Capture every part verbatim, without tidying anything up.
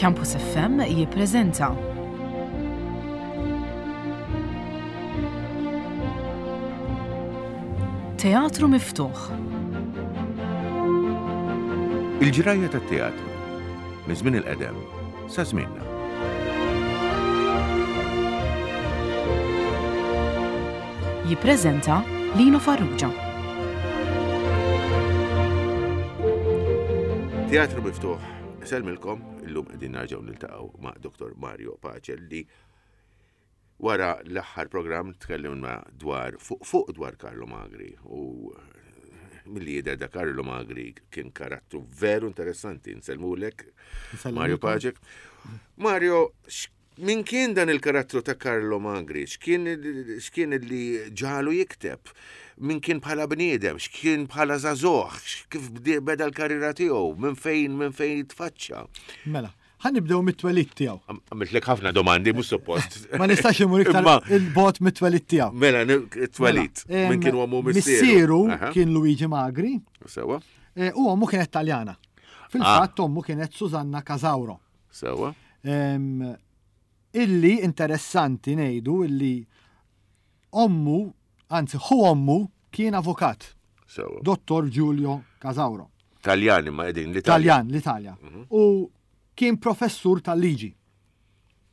Campus F M jippreżenta Teatru Miftuħ. Il-ġrajja tat-teatru minn żmien il-qedem sa żmienna. Jippreżenta Lino Farrugia. Teatru Miftuħ, sellmilkom, illum qegħdin nerġgħu niltaqgħu ma' Doktor Mario Pace li wara l-aħħar programm tkellimna dwar fuq fuq dwar Carlo Magri u milli jidher da Carlo Magri kien karattru veru interessanti. Nsellmulek, Mario Pace. Mario, min kien dan il-karattru ta' Carlo Magri? X'kien x'kien li ġagħlu jikteb? Min kien bħala bniedem? X'kien bħala żagħżugħ? Kif beda l-karriera tiegħu? Minn fejn minn fejn tfaċċa? Mela, ħa nibdew mit-twelid tiegħu. Għamiltlek ħafna domandi, mhux suppost. Ma nistax imur iktar 'il bogħod mit-twelid tiegħu. Mela, it-twelid. Mela, Min kien ommu, missieru? Missieru kien Luigi Magri. Sewa. E, u ommu kienet Taljana. Fil-fatt ommu kienet Susanna Casauro. Sewa. Illi interessanti ngħidu illi ommu, anzi ħu ommu kien avukat. Sewa. Dottor Giulio Casauro. Taljani ma qegħdin l-Italja. Taljan, l-Italja. Mhm. U kien professur tal-liġi.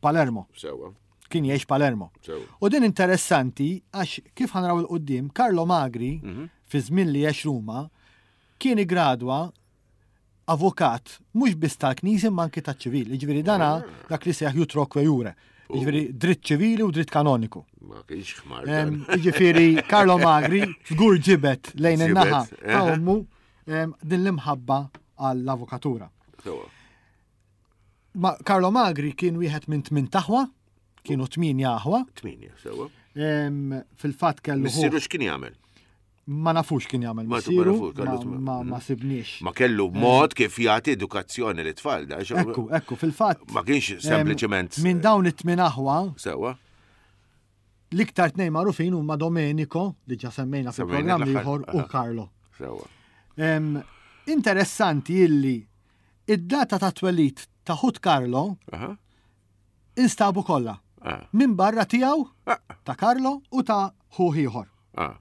Palermo. Sewa. Kien jgħix Palermo. Sewa. U din interessanti għax kif ħa naraw 'il quddiem, Carlo Magri Mhm. fi żmien li għex Ruma kien igradwa avukat mhux biss tal-Knisja imma anki taċ-ċivil. Jiġifieri dana Ah. dak li seħ utroque iure. Jiġifieri dritt ċivili u dritt kanoniku. Ma kienx ħmar. Jiġifieri Carlo Magri żgur ġibet lejn in-naħa Ġibet, ta' ommu din l-imħabba għall-avukatura. Sewa. Ma Carlo Magri kien wieħed minn tmien aħwa, kienu tminja aħwa. Tminja, sewa. Fil-fatt kellu. Missieru x'kien jagħmel? Ma nafux kien jagħmel Ma missieru, nafux, kellu ma, ma, ma sibniex. Ma kellu mod kif jagħti edukazzjoni lit-tfal da. Ekku, ekku, fil-fatt. Ma kienx sempliċement. Minn dawn it-tmien aħwa, Sewa. l-iktar tnejn magħrufin huma Domenico, li ġa semmejna Semmejna fil-programm l-aħħar, ieħor, u aha. Carlo. Sewa. Em, Interessanti illi id-data ta' twelid ta' ħut Carlo Aha. instabu kollha. Ah. Minn barra tiegħu Ah. ta' Carlo u ta' ħuh ieħor. Ah.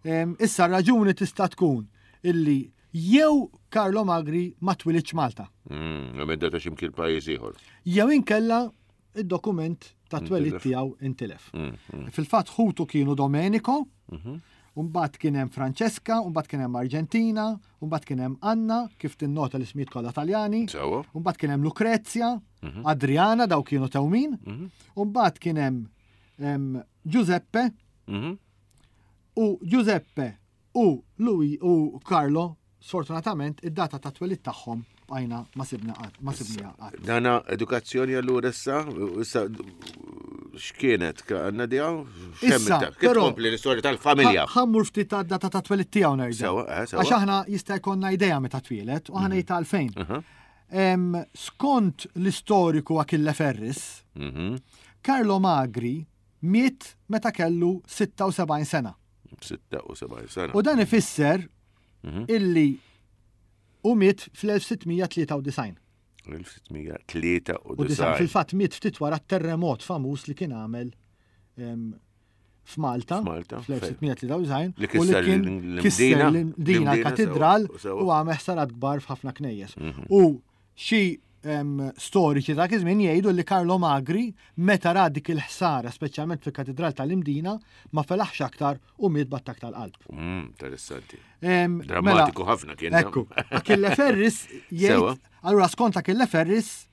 Em, Issa raġuni tista' tkun illi jew Carlo Magri ma twilidx Malta, Mm, Għamedda ta' ximkien pajjiż ieħor. jew inkella id-dokument ta' twelid Intilef. tiegħu intilef. Mm, mm. Fil-fatt ħutu kienu Domenico, Mhm. mbagħad kien hemm Francesca, mbagħad kien hemm Argentina, mbagħad kien hemm Anna, kif tinnota l-ismijiet kollha Taljani, Sewa. mbagħad kien hemm Lucrezia, Mhm. Adriana, daw kienu tewmin, Mhm. mbagħad kien hemm em, Giuseppe Mhm. u Giuseppe u Lui u Carlo, sfortunatament id-data ta' twelid tagħhom bqajna ma sibna qatt, ma sibniha qatt. Dana edukazzjoni allura issa, issa x'kienet għandna dijaw? Issa, Kif però- tkompli l-istorja tal-familja? Ħa mmur ftit ta' data ta' twelid tiegħu nerġa'. Sewa, eh, sewa. Għax aħna jista' jkollna idea meta twieled u aħna jita' għalfejn. Aha. Em, Skont l-istoriku Achille Ferris, Mhm. Carlo Magri miet meta kellu sitta u sebgħin sena. sitta u sebgħin sena. U dan ifisser Mhm. illi u miet fl-elf sitt mija tlieta u disgħin. elf sitt mija tlieta u disgħin. U disgħin. Fil-fatt miet ftit wara terremot famuż li kien għamel em, f'Malta F'Malta, fl-elf sitt mija tlieta u disgħin Li u li kisser kien l-Imdina, kisser l-Imdina l-Imdina, katedral sewa, sewa. u għamel ħsarat kbar f'ħafna knejjes. Mhm. U xi em, storiċi ta' iż-żmien jgħidu li Carlo Magri meta ra dik il-ħsara, speċjalment fil-katedral tal-Imdina, ma felaħx aktar u miet b'attak tal-qalb. Mm, interessanti. Em, Drammatiku mela, ħafna kien. Ekku, Achille Ferris Sewa. jgħid, allura skont Achille Ferris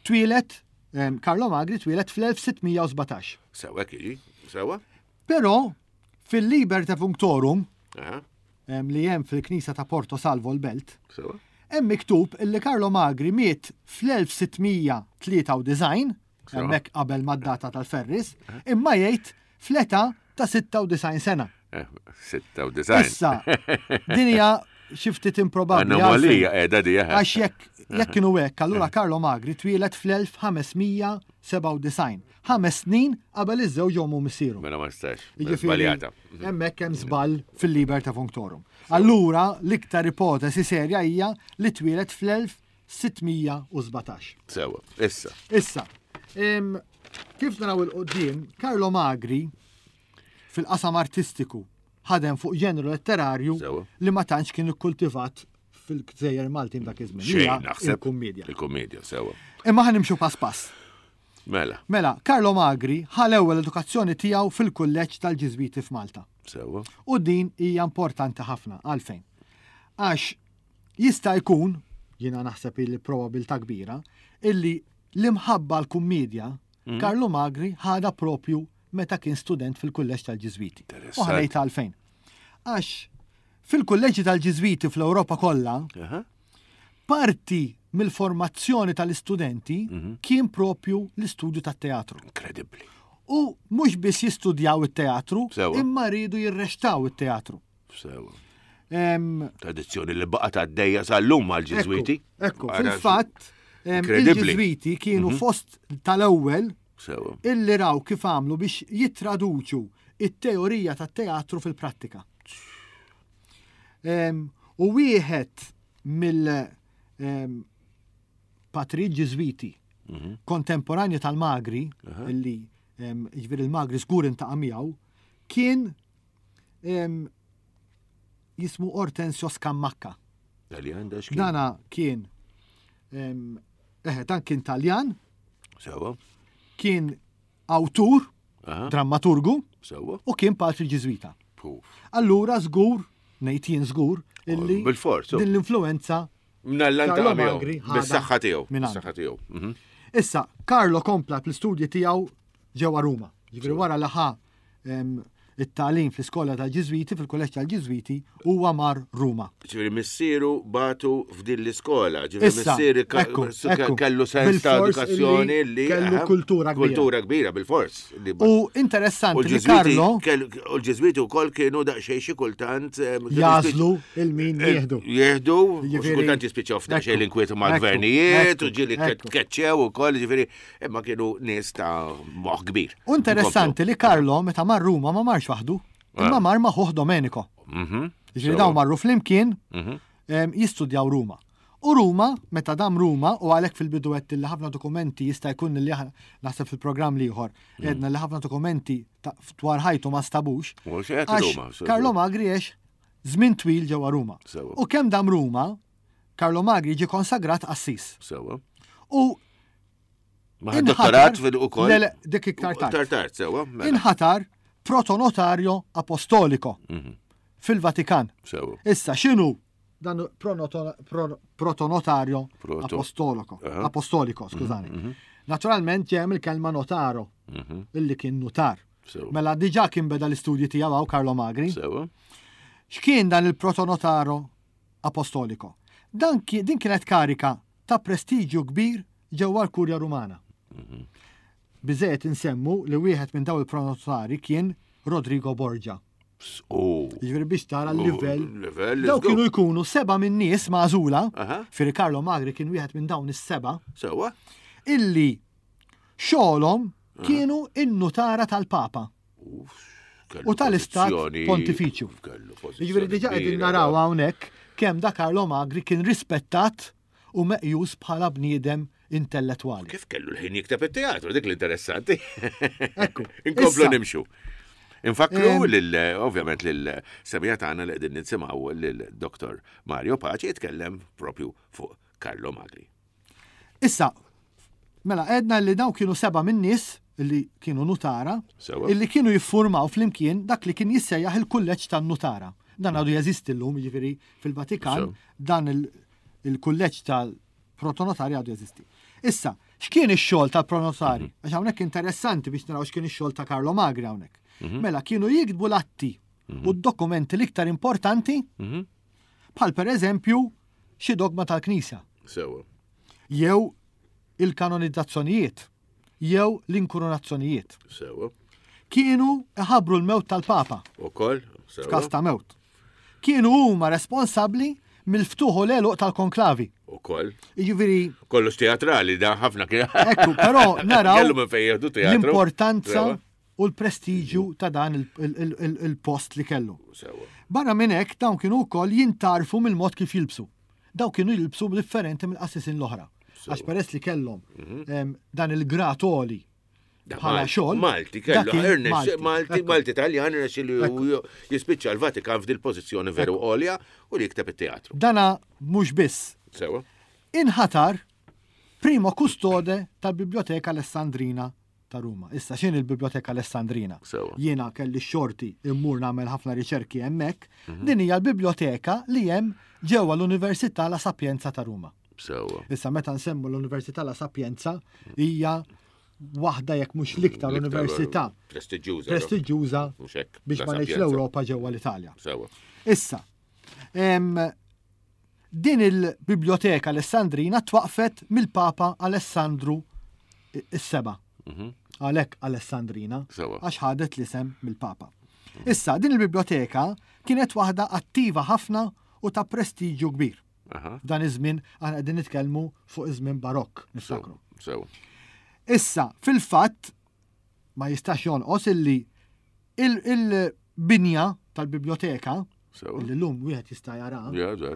twieled, em, Carlo Magri twieled fl-elf sitt mija u sbatax. Sewa kieġi, sewa? Però fil-Liber Defunctorum Aha, em, li hemm fil-Knisja ta' Porto Salvo l-Belt, sewa. hemm miktub illi Carlo Magri miet fl-elf sitt mija tlieta u disgħin, Sewa. hemmhekk qabel mad-data tal-Ferris, imma jgħid fl-età ta' sitta u disgħin sena. Eh, sitta u disgħin. Issa, din hija xi ftit improbabbli. Anomalija qiegħda di. eh. Għax jekk jekk kienu hekk, allura Carlo Magri twieled fl-elf ħames mija sebgħa u disgħin. Ħames snin qabel iż-żewġ ommu missieru. Mela ma nistax. Jiġifieri, Żbaljata. hemmhekk hemm żball fil-Liber Defunctorum. Allura l-iktar ipotesi serja hija li twieled fl-elf sitt mija u sbatax. Sewa, issa. Issa, em, kif naraw il-qoddim, Carlo Magri fil-qasam artistiku ħadem fuq ġenru letterarju Sewa. li ma tantx kien ikkultivat fil-gżejjer Maltin dak iż-żmien. Xejn, Hija naħseb. Il-kummedja. Il-kummedja, sewa. Imma ħa nimxu pass pass. Mela. Mela, Carlo Magri ħa l-ewwel edukazzjoni tiegħu fil-kulleġġ tal-Ġiżwiti f'Malta. Sewa. U din hija importanti ħafna, għalfejn. Għax jista' jkun, jiena naħseb li probabilità kbira, illi l-imħabba l-kummedja Mm. Carlo Magri ħadha propju meta kien student fil-kulleġġ tal-Ġiżwiti. Interessant. U ħanejt għalfejn. Għax fil-kulleġġi tal-Ġiżwiti fl-Ewropa kollha, Aha. parti mill-formazzjoni tal-istudenti Mhm. kien propju l-istudju tat-teatru. Inkredibbli. U mhux biss jistudjaw it-teatru, Sewa. imma rridu jirrextaw it-teatru. Sewa. Em, Tradizzjoni li baqgħet għaddejja sal-lum mal-Ġiżwiti. Ekku, ekku, Ara, fil-fatt, em, Inkredibbli. il-Ġiżwiti kienu Mhm. fost tal-ewwel Sewa. illi raw kif għamlu biex jittraduċu it-teorija tat-teatru fil-prattika. Em, u wieħed mill, em, patri Ġiżwiti Mhm. kontemporanju tal-Magri, Aha. illi, em, jiġifieri il-Magri żgur intaqa' miegħu, kien, em, jismu Ortensio Scammacca. Taljan da x'kien? Dana kien, em, eħe, dan kien Taljan, Sewa. kien awtur, Aha. drammaturgu, Sewa. u kien patri Ġiżwita. Puf. Allura żgur, ngħid jien żgur, illi Bil-fors, din l-influenza Mnallan Carlo ta' miegħu. Magri ħadha Bis-saħħa tiegħu. minn għandu. Bis-saħħa tiegħu. Mhm. Issa, Carlo kompla fl-istudji tiegħu ġewwa Ruma. Ġifieri wara li ħa, em, it-tagħlim fl-iskola tal-Ġiżwiti, fil-kulleġġ tal-Ġiżwiti, huwa mar Ruma. Ġifieri missieru batu f'din l-iskola, ġifieri Issa, missieri ka- ekku, su- ekku. kellu sens ta' Bil-fors edukazzjoni illi li kellu aha, kultura kbira. Kultura kbira bil-fors. Li ba- U U interessanti li l-Ġiżwiti Carlo kellu- u l-Ġiżwiti wkoll kienu daqsxejn xi kultant, em, kienu jażlu jispiċ- il-min eh, jieħdu. Jieħdu, u xi Jiġifieri- kultant jispiċċaw f'daqsxejn Ekku, l-inkwiet ekku, mal-gvernijiet, u ekku, ġieli ekku. tkeċċew ukoll, ġifieri, imma kienu nies ta' moħħ kbir. U interessanti li Carlo meta mar Ruma ma marx waħdu, imma Ah. mar ma' ħuh Domenico. Mhm. Ġifieri Sewa. dawn marru flimkien, Mhm. em, jistudjaw Ruma. U Ruma, meta dam Ruma, u għalhekk fil-bidu għedt li ħafna dokumenti jista' jkun li aħna naħseb fil-programm l-ieħor, Mm. għedna li ħafna dokumenti ta' dwar ħajtu ma stabux. U x'qed Għax Ruma, sewa. Carlo Magri għex żmien twil ġewwa Ruma. Sewa. U kemm dam Ruma, Carlo Magri ġie konsagrat qassis. Sewa. U Ma ħad dottorat fil ukoll? Le, le, dik iktar tard. Iktar tard, sewa, mela. Inħatar protonotario apostolico Mhm. fil-Vatikan. Sewa. Issa, x'inhu dan pronoto-, pro-, protonotario Proto. apostolico, Aha. apostolico, skużani. Mhm, mhm. Naturalment ġem il-kelma notaro, Mhm. illi kien notar. Sewa. Mela diġà kien beda l-istudji tiegħu hawn Carlo Magri. Sewa. X'kien dan il-protonotaro apostolico? Dan ki-, din kienet karika ta' prestiġju kbir ġewwa l-Kurja Rumana. Mhm. Biżejjed insemmu li wieħed minn dawn il-pronotari kien Rodrigo Borgia. Oh. Jiġifieri biex tara l-livell. Oh, Livell, Daw let's go. kienu jkunu seba' minn nies magħżula, Aha. firri Carlo Magri kien wieħed minn dawn is-seba', Sewa. illi xogħolhom kienu in-nutara tal-Papa. Kellu U tal-Istat pożizzjoni- Pontifiċju. Kellu pożizzjoni Jiġifieri diġà qegħdin kbira, naraw da. hawnhekk kemm da Carlo Magri kien rispettat u meqjus bħala bniedem intellettwali. Kif kellu l-ħin jikteb it-teatru, dik l-interessanti. Ekku. Inkomplu Issa. nimxu. Infakru Em, lil, ovvjament lil semija tagħna li qegħdin nisimgħu lil Doktor Mario Pace jitkellem propju fuq Carlo Magri. Issa, mela għedna li daw kienu seba' minn nies li kienu nutara, Sewa. illi kienu jiffurmaw flimkien dak li kien jissejjaħ il-kulleġġ tan-nutara. Dan għadu jeżisti llum, jiġifieri fil-Vatikan, Sew. dan il- il-kulleġġ tal-protonotari għadu jeżisti. Issa, x'kien ix-xogħol tal-pronotari? Mhm. Għax hawnhekk interessanti biex naraw x'kien ix-xogħol ta' Carlo Magri hawnhekk. Mhm. Mela kienu jiktbu l-atti u d-dokumenti l-iktar importanti, Mhm. bħal per eżempju xi dogma tal-Knisja Sewa. jew il-kanonizzazzjonijiet, jew l-inkoronazzjonijiet. Sewa. Kienu iħabbru l-mewt tal-Papa Ukoll, sewa. f'każ ta' mewt. Kienu huma responsabbli mill-ftuħ u l-għeluq tal-konklavi. Ukoll. Jiġifieri Kollox teatrali, da ħafna kien. Ekku, però naraw Kellu minn fejn jieħdu teatru. l-importanza Sewa. u l-prestiġju ta' dan il-, il-, il-, il-post li kellu. Sewa. Barra minn hekk dawn kienu wkoll jintarfu mill-mod kif jilbsu. Daw kienu jilbsu differenti mill-qassisin l-oħra. Għax peress li kellhom mhm. dan il-grad għoli bħala xogħol. Malti kellu Ernest, Malti, Malti Taljan irnexxielu jispiċċa l-Vatikan f'dil pożizzjoni veru għolja u li jikteb it-teatru. Dana mhux biss. Sewa. Inħatar primo kustode tal-Biblioteka Alessandrina ta' Ruma. Issa x'inhi il-Biblioteka Alessandrina? Jiena kelli xorti immur nagħmel ħafna riċerki hemmhekk. Mhm. Din hija l-biblioteka li hemm ġewwa l-Università La Sapienza ta' Ruma. Sewa. Issa meta nsemmu l-Università La Sapienza hija waħda jekk mhux l-iktar università prestiġjuża prestiġjuża biex ma ngħidx l-Ewropa ġewwa l-Italja. Sewa. Issa, din il-Biblioteka Alessandrina twaqfet mill-Papa Alessandru is-Seba. Mhm. Għalhekk Alessandrina, għax ħadet l-isem mill-Papa. Issa, din il-biblioteka kienet waħda attiva ħafna u ta' prestiġju kbir. Dan iż-żmien aħna qegħdin nitkellmu fuq iż-żmien barokk, niftakru. Issa, fil-fatt, ma jistax jonqos illi il-binja tal-biblioteka, illi l-lum wieħed jista' jara.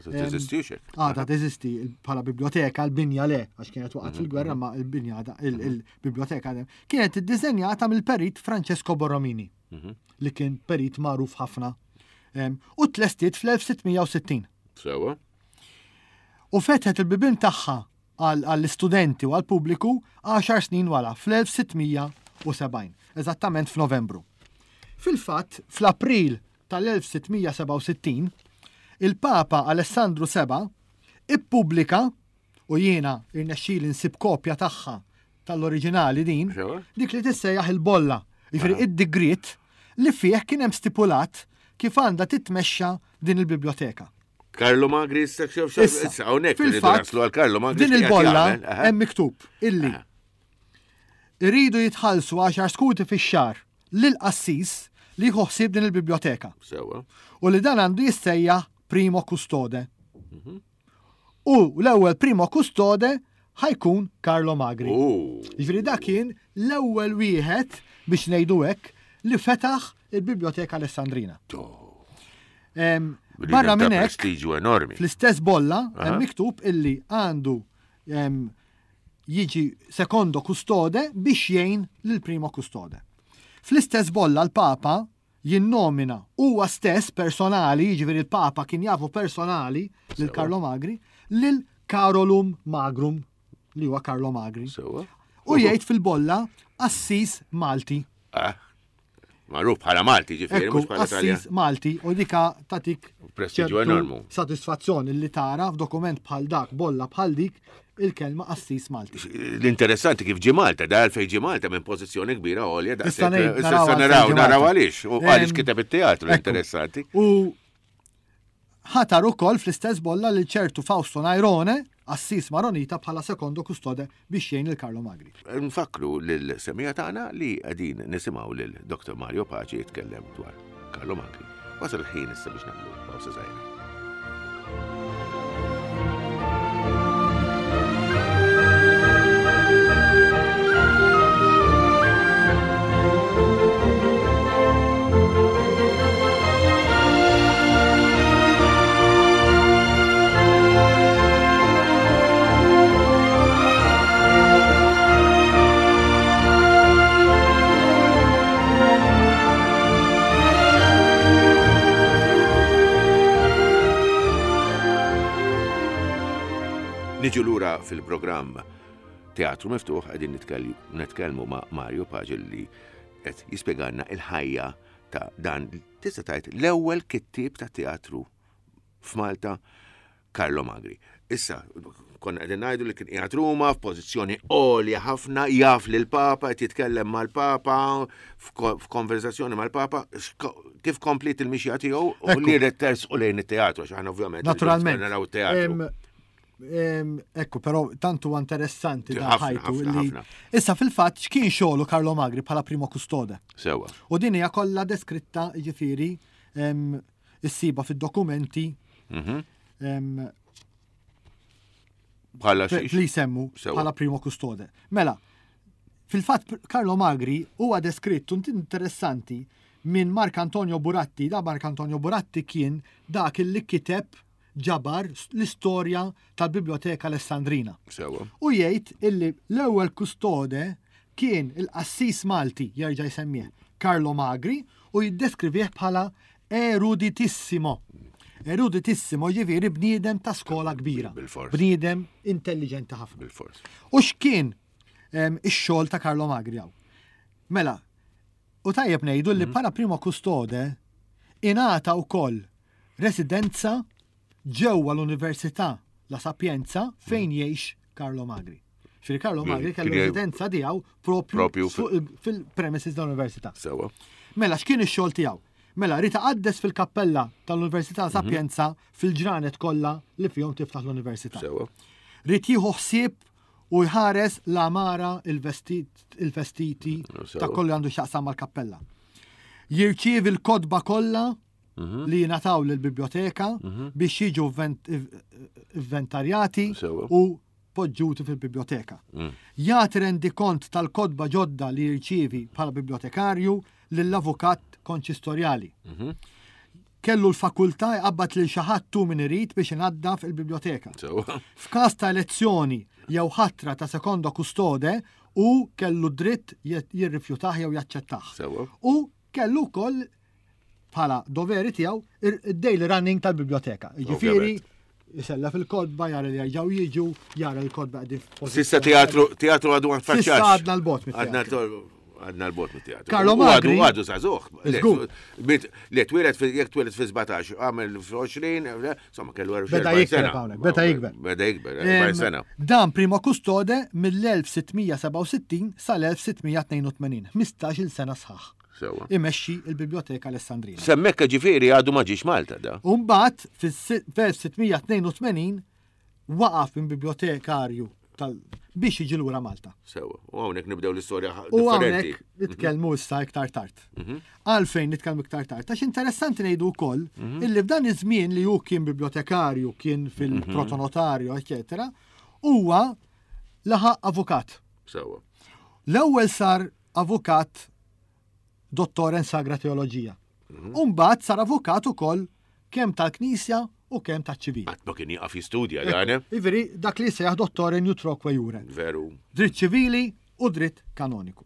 Teżisti Għadha teżisti bħala biblioteka, l-binja le, għax kienet waqgħet mhm, fil-gwerra mhm. ma l-binja il-biblioteka kienet iddiżenjata mill-perit Francesco Borromini, mhm. li kien perit magħruf ħafna. U tlestiet fl-elf sitt mija u sittin. Sewa. U fetħet il-bibien tagħha għall-istudenti u għall-pubbliku għaxar snin wara, fl-elf sitt mija u sebgħin, eżattament f'Novembru. Fil-fatt, fl-April tal-elf sitt mija sebgħa u sittin, il-Papa Alessandru seba' ippubblika, u jiena irnexxieli nsib kopja tagħha tal-oriġinali din, dik li tissejjaħ il-bolla, jiġifieri id-digriet li fih kien hemm stipulat kif għandha titmexxa din il-biblioteka. Carlo Magri issa xef xef, Issa, issa hawnhekk irridu fil-fatt, naslu għal Carlo Magri din x'qiegħed il-bolla jagħmel, aha. hemm miktub illi Aha. iridu jitħallsu għaxar skuti fix-xahar lil qassis li jieħu ħsieb din il-biblioteka. Sewa. U li dan għandu jissejjaħ primo custode. Mhm. U l-ewwel primo custode ħajkun Carlo Magri. Oh. Jiġifieri dak kien l-ewwel wieħed biex ngħidu hekk li fetaħ il-Biblioteka Alessandrina. Oh. Em, Bniedem barra ta' minn hekk, prestiġju enormi. Fl-istess bolla Aha. hemm miktub illi għandu, em, jiġi secondo custode biex jgħin lil primo custode. Fl-istess bolla l-Papa jinnomina huwa stess personali, jiġifieri l-Papa kien jafu personali lil Sewa. Carlo Magri, lil Carolum Magrum, li huwa Carlo Magri. Sewa. U jgħid fil-bolla Assis Malti. Ah. Magħruf bħala Malti, ġifieri, Ekku, mhux bħala Taljan. Assis Malti, u dika tatik Prestiġju ċertu enormu. Satisfazzjon li tara f'dokument bħal dak, bolla bħal dik, il-kelma Assis Malti. L-interessanti kif ġie Malta, da għalfejn ġie Malta minn pożizzjoni kbira għolja, daqshekk, Issa ngħid, issa naraw għalfejn naraw, ġie naraw Malta. għaliex, u għaliex Em, kiteb it-teatru, ekku. interessanti. U ħatar ukoll fl-istess bolla li ċertu Fausto Nairone, Assis Maronita bħala sekondo kustode biex jgħin lil Carlo Magri. Nfakru lil-semija tagħna li qegħdin nisimgħu lil Doktor Mario Pace jitkellem dwar Carlo Magri. Wasal il-ħin issa biex nagħmlu pawsa żgħira. Niġu lura fil-programm Teatru Miftuħ qegħdin nitkell-, nitkellmu ma' Mario Pace li qed jispjegalna il-ħajja ta' dan tista' tgħid l-ewwel kittieb ta' teatru f'Malta, Carlo Magri. Issa, konna qegħdin ngħidu li kien qiegħed Ruma f'pożizzjoni għolja ħafna, jaf lil Papa, qed jitkellem mal-Papa, f'ko-, f'konversazzjoni mal-Papa, x'ko-, kif komplit il-mixja tiegħu u Ekku. li rid tersqu lejn it-teatru, għax aħna ovvjament Naturalment. naraw it-teatru. Em, em, ekku, però tantu huwa interessanti da Ħafna, ħajtu ħafna, li ħafna. Issa fil-fatt x'kien xogħlu Carlo Magri bħala primo custode. Sewa. U din hija kollha deskritta, jiġifieri, em, issiba fid-dokumenti, Mhm. em, Bħala fe- xiex? li jsemmu Sewa. bħala primo custode. Mela, fil-fatt Carlo Magri huwa deskrittu interessanti minn Marc Antonio Buratti. Da Marc Antonio Buratti kien dak li kiteb ġabar l-istorja tal-Biblioteka Alessandrina. Sewa. U jgħid illi l-ewwel kustode kien il-qassis Malti, jerġa' jsemmih, Carlo Magri, u jiddeskrivih bħala eruditissimo. Eruditissimo ġifieri bniedem ta' skola kbira. Bil-fors. Bniedem intelligenti ħafna. Bil-fors. U x'kien em, ix-xogħol ta' Carlo Magri hawn? Mela, u tajjeb ngħidu li bħala primo kustode ingħata wkoll residenza ġewwa l-Università La Sapienza fejn jgħix Carlo Magri. Ġifieri Carlo Magri kellu Kien jgħix- residenza tiegħu propju, Propju fuq il- fil-premises tal-Università. Sewa. Mela, x'kien ix-xogħol tiegħu? Mela, ried iqaddes fil-kappella tal-Università Sapienza fil-ġranet kollha li fihom tiftaħ l-Università. Sewa. Ried jieħu ħsieb u jħares l-għamara il-vestit, il-vestiti Sewa. ta' kollu għandu x'jaqsam mal-kappella. Jirċievi l-kotba kollha li jingħataw lill-biblioteka biex jiġu invent- inventarjati Sewa. u poġġuti fil-biblioteka. Jagħti rendikont tal-kotba ġodda li jirċievi bħala bibliotekarju lill-avukat konċistorjali. Kellu l-fakultà jqabbad lil xi ħadd tu min irid biex inaddaf il-biblioteka. Sewa. F'każ ta' elezzjoni jew ħatra ta' secondo custode u kellu dritt jirrifjutah jew jaċċettah. Sewa. U kellu wkoll bħala doveri tiegħu id-daily running tal-biblioteka. Jiġifieri jisella fil-kotba, jara li jerġgħu jiġu, jara l-kotba qegħdin f'pożizzjoni. S'issa teatru, teatru għadu għan S'issa għadna l-bot Għadna mit-teatru. għadna l-bot mit-teatru. Carlo U għadu- Magri- Għadu żagħżugħ. Żgur. Le, twieled jekk twieled fi sbatax, għamel fi għoxrin, insomma, kellu Beda erbgħin jikber sena. hawnhekk, beda jikber. Beda jikber, erbgħin sena. Dan primo custode mill-elf sitt mija sebgħa u sittin sal-elf sitt mija tnejn u tmenin, ħmistax-il sena sħaħ. Sewa. Imexxi il-Biblioteka Alessandrina. S'hemmhekk ġifieri għadu ma ġiex Malta da. Umbagħad fil-elf sitt mija tnejn u tmenin waqaf minn bibliotekarju tal biex jiġi lura Malta. Sewa. U hawnhekk nibdew l-istorja U differenti. hawnhekk nitkellmu issa iktar tard. Għalfejn nitkellmu iktar tard? Għax interessanti ngħidu wkoll illi f'dan iż-żmien li hu kien bibliotekarju, kien fil-protonotarju, eċetera, huwa laħaq avukat. Sewa. L-ewwel sar avukat dottor in sagra teoloġija. Umbagħad sar avukat ukoll kemm tal-Knisja u kemm taċ-ċivil. Qatt ma kien jieqaf jistudja dan, eh? Ġifieri dak li sejjaħ dottor in utroque iure. Veru. Dritt ċivili u dritt kanoniku.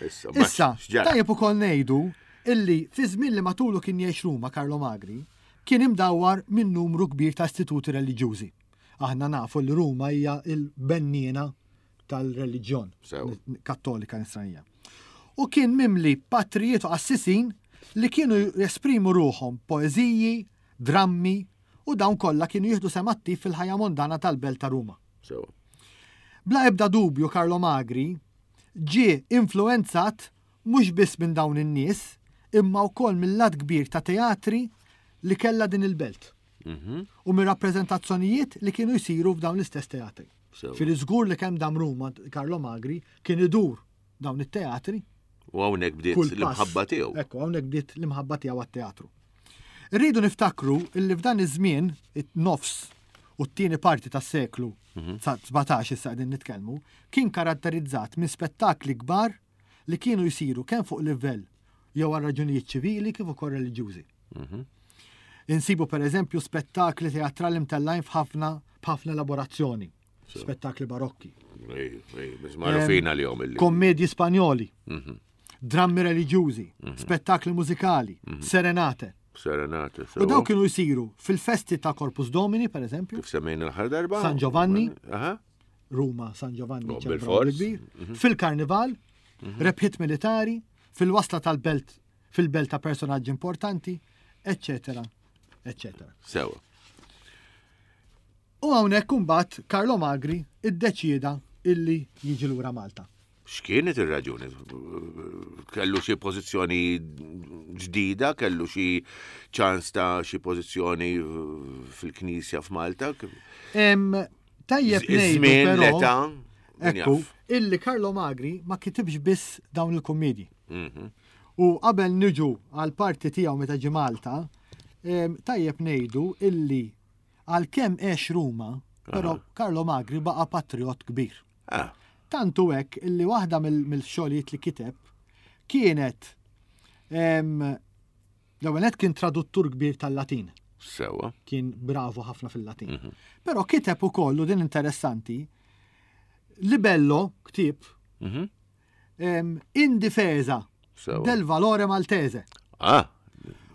Issa, Issa, x'ġara? tajjeb ukoll ngħidu illi fi żmien li matulu kien jgħix Ruma Carlo Magri kien imdawwar minn numru kbir ta' istituti reliġjużi. Aħna nafu li Ruma hija il-benniena tal-reliġjon Sew. kattolika nisranija. U kien mimli patrijiet u qassisin li kienu jesprimu ruħhom poeżiji, drammi u dawn kollha kienu jieħdu sehem attiv fil-ħajja mondana tal-belt ta' Ruma. Sewa. Bla ebda dubju Carlo Magri ġie influenzat mhux biss minn dawn in-nies, imma wkoll mill-għadd kbir ta' teatri li kellha din il-belt. U mir rappreżentazzjonijiet li kienu jsiru f'dawn l-istess teatri. Sewa. Fil-żgur li kemm dam Ruma Carlo Magri kien idur dawn it-teatri U hawnhekk bdiet kull pass. l-imħabba tiegħu. Ekku, hawnhekk bdiet l-imħabba tiegħu għat-teatru. Irridu niftakru illi f'dan iż-żmien it-nofs u t-tieni parti tas-seklu sbatax issa qegħdin nitkellmu, kien karatterizzat minn spettakli kbar li kienu jsiru kemm fuq livell jew għal raġunijiet ċivili kif ukoll reliġjużi. Insibu per eżempju spettakli teatrali mtellajn f'ħafna b'ħafna elaborazzjoni, spettakli barokki. Ej, ej, biss magħrufin għalihom illi. Kommedji Spanjoli, drammi reliġjużi, spettakli mużikali, serenate. Serenate. U daw kienu jsiru fil-festi ta' Corpus Domini, per eżempju, Kif semmejna l-aħħar darba? San Giovanni. Aha. Ruma, San Giovanni, Oh, ċelebraw bil-fors. bil-kbir, fil-karnival, rebħiet militari, fil-wasla tal-belt, fil-belt ta' personaġġi importanti, eccetera, eccetera. Sewa. U hawnhekk imbagħad Carlo Magri iddeċieda illi jiġi lura Malta. X'kienet ir-raġuni? Kellu xi pożizzjoni ġdida, kellu xi ċans ta' xi pożizzjoni fil-Knisja f'Malta? Em, Tajjeb ngħidu Iż-żmien, però, l-età, min ekku, jaf. illi Carlo Magri ma kitibx biss dawn il-kommedji. Mhm. U qabel niġu għal parti tiegħu meta ġi Malta, em, tajjeb ngħidu illi għalkemm għex Ruma, però Carlo Magri baqa' patriot kbir. Ah, Tantu hekk illi waħda mill- mill-xogħlijiet li kiteb kienet em, l-ewwel nett kien traduttur kbir tal-Latin. Sewa. Kien bravo ħafna fil-Latin. Mhm. Però kiteb ukoll, u din interessanti, libello, ktieb, Mhm. em, in difesa Sewa. del valore maltese. Ah,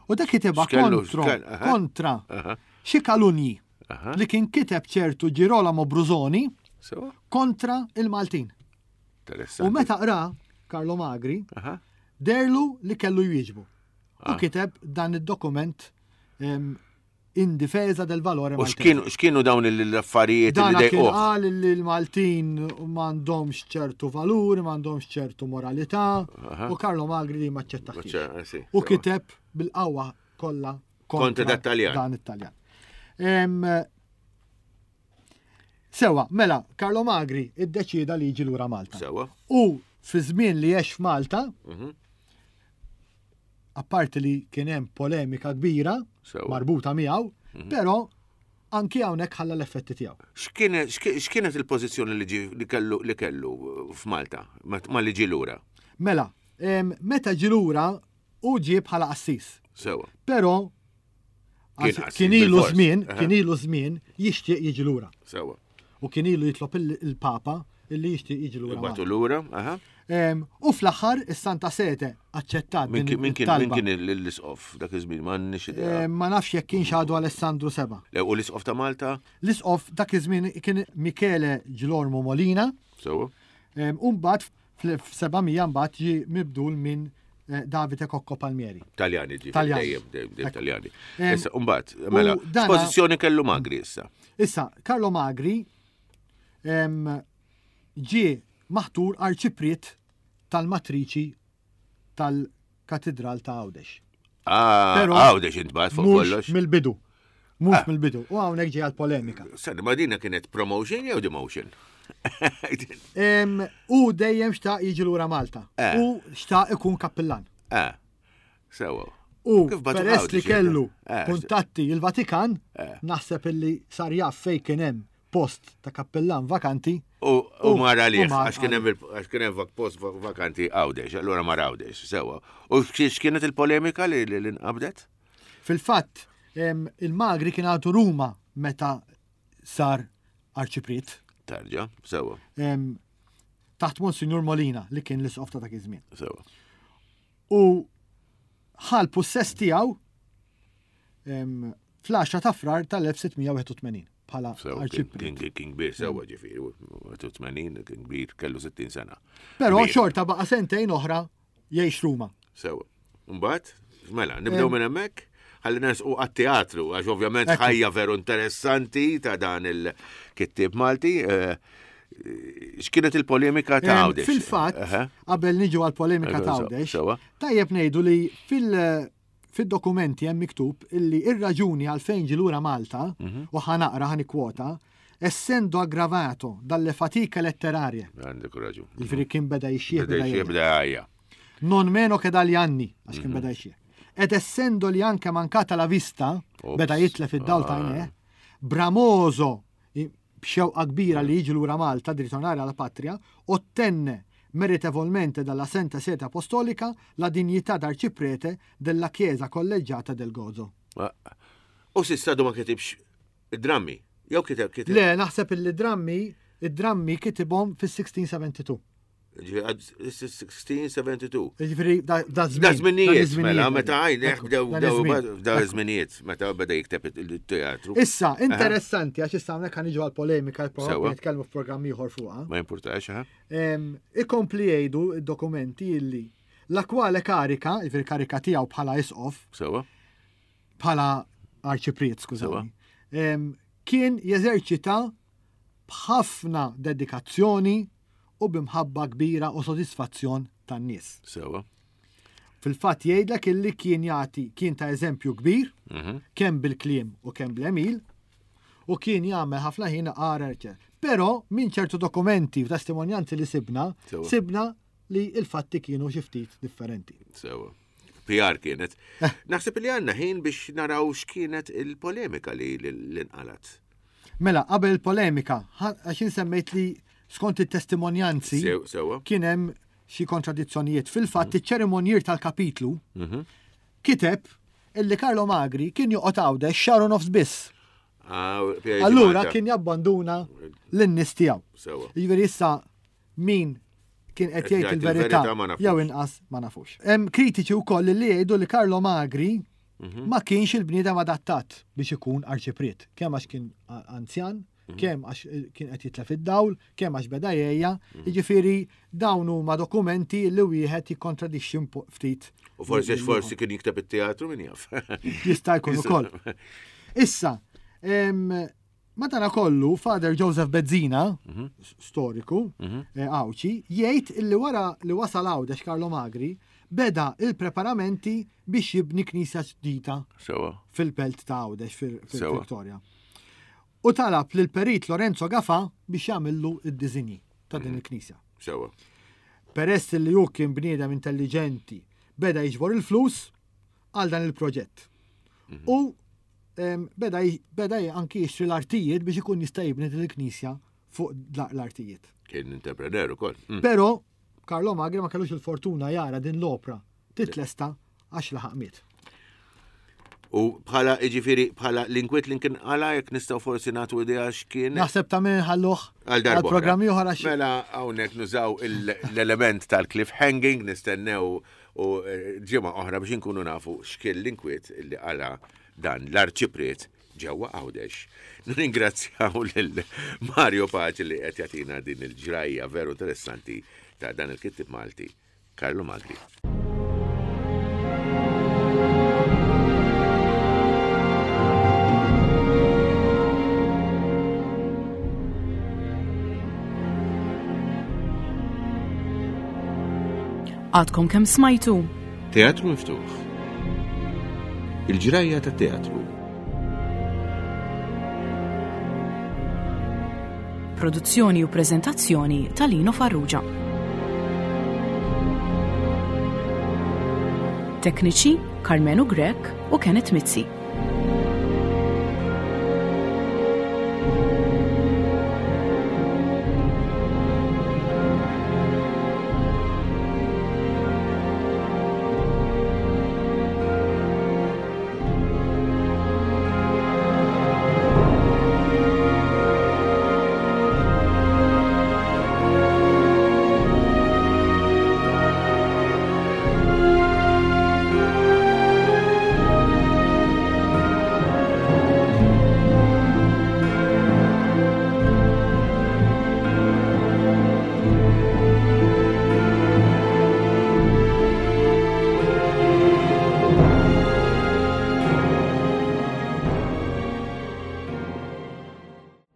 U dak kitebha X'kellu- kontro, x'kel- aha. kontra aha, xi kalunji aha. li kien kiteb ċertu Girolamo Brusoni Sewa. kontra il-Maltin. Interessanti. U meta qra Carlo Magri, Aha. derlu li kellu jwieġbu. U Ah. kiteb dan id-dokument em, in difesa del valore U maltese. x'kienu x'kienu dawn l-affarijiet li Dana kien dejquh? qal li l-Maltin m'għandhomx ċertu valuri, m'għandhomx ċertu moralità, Aha. u Carlo Magri li maċċettax. Maċċa- sì, U sewa. kiteb bil-qawwa kollha Kontra dat Taljan. Dan it-Taljan. Em, Sewa, mela, Carlo Magri iddeċida li jiġi lura Malta. Sewa. U fi żmien li għex f'Malta, Mhm. apparti li kien hemm polemika kbira Sewa. marbuta miegħu, Mhm. però anki hawnhekk ħalla l-effetti tiegħu. X'kienet x'ki- x'kienet il-pożizzjoni li ġi li kellu li kellu f'Malta ma ma li ġie lura? Mela, em, meta ġie lura u ġie bħala qassis. Sewa. Però Kien għax qassis kien ilu bil-fors. żmien, Aha. kien ilu żmien jixtieq jiġi lura. Sewa. U kien ilu jitlob il- il-Papa illi jixtieq jiġi lura. Batu Malta. lura, aha. Em, U fl-aħħar is-Santa Sete aċċettat Min din kien min kien min it-talba. kien l-isqof dak iż-żmien m'għandniex idea. Em, Ma nafx jekk kienx għadu Alessandru Seba. Le, U l-isqof ta' Malta? L-isqof dak iż-żmien kien Michele Gilormo Molina, Sewa. em, u mbagħad fl-seba' mija mbagħad ġie mibdul minn eh, Davide Cocco Palmieri. Taljani ġi. Taljani. Dejjem, dejjem, dejjem Taljani. Em, Issa, mbagħad, mela, dana- x'pożizzjoni kellu Magri issa? Issa, Carlo Magri em, ġie maħtur arċipriet tal-matriċi tal-Katedral ta' Għawdex. Ah, Però- Għawdex intbagħat fuq Mhux kollox. mill-bidu. Mhux Ah. mill-bidu. U hawnhekk ġie għal-polemika. Sani, ma dina kienet promotion jew demotion? Em, U dejjem xtaq jiġi lura Malta. Eh. U xtaq ikun kappillan. Ah, sewa. U Kif batu peress li Għawdex, kellu eh, kuntatti il-Vatikan, Eh. naħseb illi sar jaf fej kien hemm post ta' kappellan vakanti. U u U- mar għalih, u mar għax kien hemm il- għax kien hemm vak- post va- vakanti Għawdex, allura mar Għawdex, sewa. U x'kienet x'kienet il-polemika li li li nqabdet? Fil-fatt, em, il-Magri kien għadu Ruma meta sar arċipriet Tarġa, sewa, em, taħt Monsignor Molina li kien l-isqof ta' dak iż-żmien. sewa. U ħal possess tiegħu em, fl-għaxra ta' Frar tal-elf sitt mija wieħed u tmenin bħala Sewa, kien- arċipriet. kien kien kbir, sewa ġifieri, tmenin, kien kbir, kellu sittin sena. Però Kbir. xorta baqa' sentejn oħra jgħix Ruma. Sewa. Mbagħad, mela, nibdew minn hemmhekk, ħalli nersqu għat-teatru, għax ovvjament Ekku. ħajja veru interessanti ta' dan il-kittieb Malti. eh, X'kienet il-polemika ta' Em, Għawdex? Fil-fatt, Aha. qabel niġu għal polemika ta' Sewa, Għawdex, sewa. tajjeb ngħidu li fil- fil-dokumenti hemm miktub illi ir-raġuni għalfejn ġie lura Malta, Mhm. u ħa naqra ħa nikkwota, essendo aggravato dalle fatiche letterarie, Għandek raġun. jiġifieri kien beda jixjieħ Beda beda jxie, jgħid. beda għajja. Non meno che dagli anni, għax Mhm. kien beda jixjieħ. Ed essendogli anche mancata la vista, Ops. beda jitlef id-dawl ta' Ah. għajnejh, bramoso, i- b'xewqa kbira li jiġi lura Malta di ritornare alla patria, ottenne meritevolmente dalla Santa Sede Apostolica la dignità d'arciprete della Chiesa Collegiata del Gozo. Ma- U s'issa għadu ma kitibx drammi. Jew kiteb kiteb. Le, naħseb illi drammi, id-drammi kitibhom fis-sixteen seventy-two. Ġifieri, għad- sixteen seventy-two. Jiġifieri da da żmien. Da żminijiet, dan iż-żminijiet. mela, meta għajnek Ekku, bdew dan bdew iż-żmien. da Ekku. żminijiet, meta beda jikteb il-teatru. Issa, interessanti, għax issa hawnhekk ħa niġu għal-polemika, Sewa. probabbli nitkellmu f'programm ieħor fuqha. Ma jimpurtax, ha? Em, Ikompli jgħidu id-dokumenti illi la quale carica, jiġifieri karika tiegħu bħala isqof, Sewa. bħala arċipriet, skużani, em, kien jeżerċita b'ħafna dedikazzjoni u b'imħabba kbira u sodisfazzjon tan-nies. Sewa. Fil-fatt jgħidlek illi kien jagħti kien ta' eżempju kbir, Mhm. kemm bil-kliem u kemm bl-għemil, u kien jagħmel ħafna ħin għar. Però minn ċertu dokumenti u testimonjanzi li sibna, Sewa. sibna li il-fatti kienu xi ftit differenti. Sewa. P R kienet. Eh. Naħseb li għandna ħin biex naraw x'kienet il-polemika li li li nqalat. Mela, qabel il-polemika, ħa- għax insemmejt li skont it-testimonjanzi Sew- Sewa. kien hemm xi kontradizzjonijiet. Fil-fatt iċ-ċerimonjier tal-kapitlu kiteb illi Carlo Magri kien joqgħod Għawdex xahar u nofs biss. Ah, Pierre Allura Malta. kien jabbanduna lin-nies tiegħu. Sewa. Jiġifieri issa min kien qed Qed jgħid jgħid il-verità il-verità ma nafux. jew inqas ma nafux. Hemm kritiċi wkoll li jgħidu li Carlo Magri Mhm. ma kienx il-bniedem adattat biex ikun arċipriet. Kemm għax kien a- anzjan, Mhm. kemm għax eh, kien qed jitlef id-dawl, kemm għax beda jgħejja, Mhm. jiġifieri dawn huma dokumenti li wieħed jikkontradixxi un po- ftit. U forsi għax forsi kien jikteb it-teatru min jaf. Jista' jkun ukoll. Issa, em, madana kollu, Father Joseph Bezzina, s- storiku, eh, Għawdxi, jgħid illi wara li wasal Għawdex Carlo Magri, beda il-preparamenti biex jibni knisja ġdida Sewa. fil-belt ta' Għawdex Sewa. fil-Victoria. U talab lil perit Lorenzo Gafa biex jagħmillu id-diżinji ta' din il-knisja. Sewa. Peress li hu kien bniedem intelligenti, beda jiġbor il-flus għal dan il-proġett. U em, beda, j- beda j- anki jixtri l-artijiet biex ikun jista' jibni din il-knisja fuq la- l-artijiet. Kien entrepreneur ukoll. Mm. Però Carlo Magri ma kellux il-fortuna jara din l-opra titlesta għax laħaq miet. U bħala, iġifieri, bħala l-inkwiet li kien għala jekk nistgħu forsi nagħtu idea x'kien. Naħseb ta' min ħalluh Għal darba. għal programmi oħra xi. Mela hawnhekk nużaw il- l-element tal-cliffhanging nistennew u eh, ġimgħa oħra biex inkunu nafu x'kien l-inkwiet li qala dan l-arċipriet ġewwa Għawdex. Nirringrazzjaw lil Mario Pace li qed jagħtina din il-ġrajja veru interessanti ta' dan il-kittib Malti, Carlo Magri. Għadkom kemm smajtu? Teatru miftuħ. Il-ġrajja ta' teatru. Produzzjoni u prezentazzjoni ta' Lino Farrugia. Tekniċi Carmenu Grek u Kenneth Mizzi.